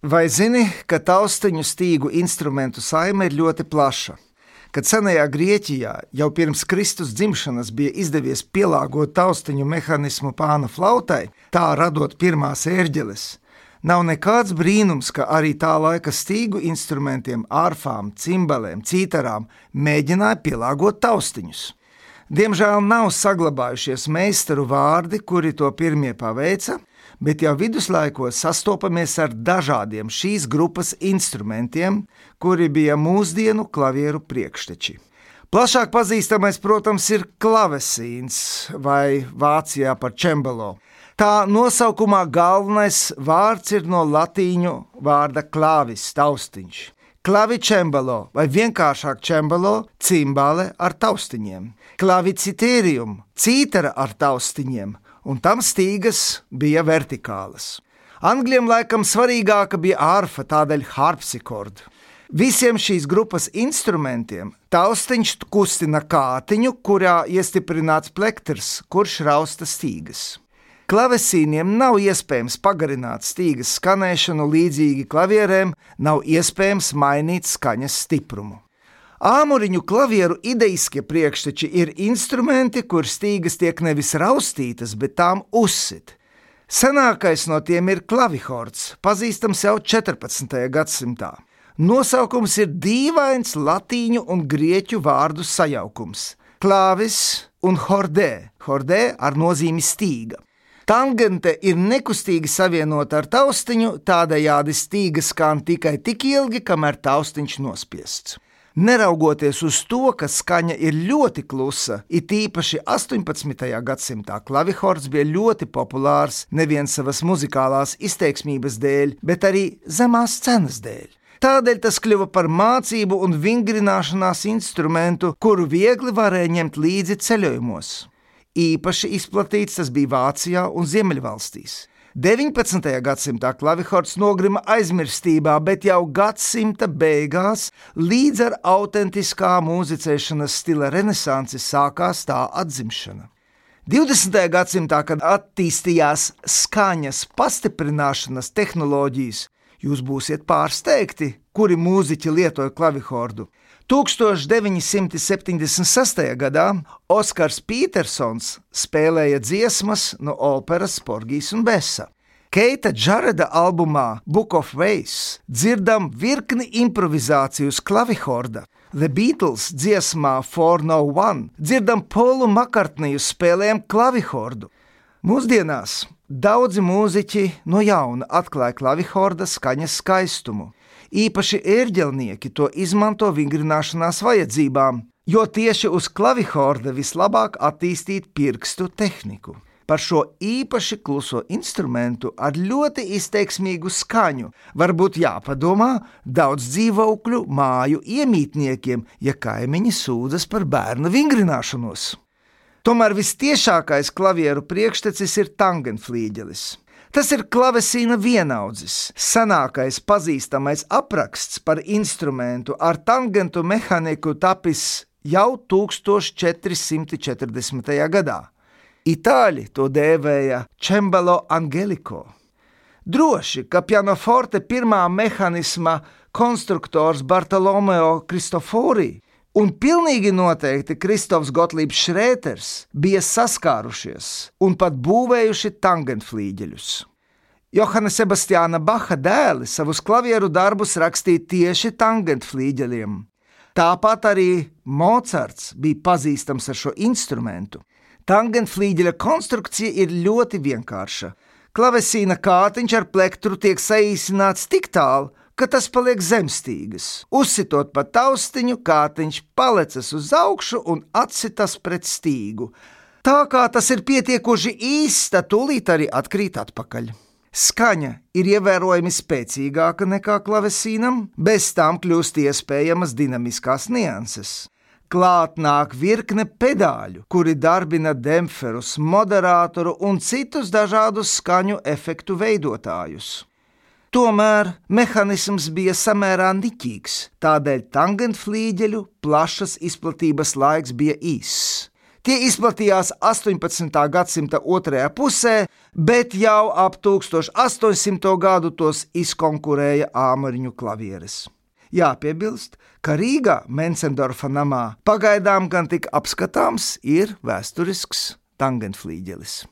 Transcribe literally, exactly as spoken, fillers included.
Vai zini, ka taustiņu stīgu instrumentu saime ir ļoti plaša? Kad senajā Grieķijā jau pirms Kristus dzimšanas bija izdevies pielāgot taustiņu mehānismu pāna flautai, tā radot pirmās ērģeles, nav nekāds brīnums, ka arī tā laika stīgu instrumentiem, ārfām, cimbalēm, cītarām mēģināja pielāgot taustiņus. Diemžēl nav saglabājušies meistaru vārdi, kuri to pirmie paveica, bet jau viduslaikos sastopamies ar dažādiem šīs grupas instrumentiem, kuri bija mūsdienu klavieru priekšteči. Plašāk pazīstamais, protams, ir klavesīns vai Vācijā par cembalo. Tā nosaukumā galvenais vārds ir no latīņu vārda clavis, taustiņš. Clavicembalo vai vienkāršāk cembalo, cimbale ar taustiņiem. Clavicitērium, cītara ar taustiņiem, un tam stīgas bija vertikālas. Angļiem laikam svarīgāka bija ārfa, tādēļ harpsichord. Visiem šīs grupas instrumentiem taustiņš kustina kātiņu, kurā iestiprināts plektrs, kurš rausta stīgas. Klavesīniem nav iespējams pagarināt stīgas skanēšanu līdzīgi klavierēm, nav iespējams mainīt skaņas stiprumu. Āmuriņu klavieru ideiskie priekšteči ir instrumenti, kur stīgas tiek nevis raustītas, bet tām uzsit. Senākais no tiem ir klavihords, pazīstams jau četrpadsmitajā gadsimtā. Nosaukums ir dīvains latīņu un grieķu vārdu sajaukums – clavis un hordē, hordē ar nozīmi stīga. Tangente ir nekustīgi savienota ar taustiņu, tādējādi stīga skan tikai tik ilgi, kamēr taustiņš nospiests. Neraugoties uz to, ka skaņa ir ļoti klusa, it īpaši astoņpadsmitajā gadsimtā klavihords bija ļoti populārs nevien savas muzikālās izteiksmības dēļ, bet arī zemās cenas dēļ. Tādēļ tas kļuva par mācību un vingrināšanās instrumentu, kuru viegli varēja ņemt līdzi ceļojumos. Īpaši izplatīts tas bija Vācijā un Ziemeļvalstīs. deviņpadsmitajā gadsimtā klavihords nogrima aizmirstībā, bet jau gadsimta beigās līdz ar autentiskā mūzicēšanas stila renesansi sākās tā atzimšana. divdesmitajā gadsimtā, kad attīstījās skaņas pastiprināšanas tehnoloģijas, jūs būsiet pārsteigti, kuri mūziķi lietoja klavihordu. tūkstoš deviņi simti septiņdesmit sestajā gadā Oskars Pītersons spēlēja dziesmas no operas Porgijs un Besa. Keita Džareda albumā Book of Ways dzirdam virkni improvizāciju uz klavihorda. The Beatles dziesmā For No One dzirdam Polu Makartniju spēlējam klavihordu. Mūsdienās daudzi mūziķi no jauna atklāja klavihorda skaņas skaistumu. Īpaši ērģelnieki to izmanto vingrināšanās vajadzībām, jo tieši uz klavihorda vislabāk attīstīt pirkstu tehniku. Par šo īpaši kluso instrumentu ar ļoti izteiksmīgu skaņu varbūt jāpadomā daudz dzīvokļu māju iemītniekiem, ja kaimiņi sūdzas par bērnu vingrināšanos. Tomēr vistiešākais klavieru priekštecis ir tangenflīģelis. Tas ir klavesīna vienaudzis, senākais pazīstamais apraksts par instrumentu ar tangentu mehaniku tapis jau tūkstoš četri simti četrdesmitajā gadā. Itāļi to dēvēja cembalo angelico. Droši, ka pianoforte pirmā mehanisma konstruktors Bartolomeo Cristofori un pilnīgi noteikti Kristofs Gotlībs Šrēters bija saskārušies un pat būvējuši tangenflīģeļus. Johana Sebastiāna Baha dēli savus klavieru darbus rakstīja tieši tangenflīģeļiem. Tāpat arī Mocarts bija pazīstams ar šo instrumentu. Tangenflīģeļa konstrukcija ir ļoti vienkārša. Klavesīna kātiņš ar plektru tiek saīsināts tik tālu, ka tas paliek zemstīgas. Uzsitot pa taustiņu, kātiņš palecas uz augšu un atsitas pret stīgu. Tā kā tas ir pietiekoši īsts, tad tūlīt arī atkrīt atpakaļ. Skaņa ir ievērojami spēcīgāka nekā klavesīnam, bez tām kļūst iespējamas dinamiskās nianses. Klāt nāk virkne pedāļu, kuri darbina demferus, moderātoru un citus dažādus skaņu efektu veidotājus. Tomēr mehanisms bija samērā niķīgs, tādēļ tangenflīģeļu plašas izplatības laiks bija īss. Tie izplatījās astoņpadsmitā gadsimta otrajā pusē, bet jau ap tūkstoš astoņsimto gadu tos izkonkurēja āmuriņu klavieres. Jāpiebilst, ka Rīgā Mencendorfa namā pagaidām gan tik apskatāms ir vēsturisks tangenflīģelis.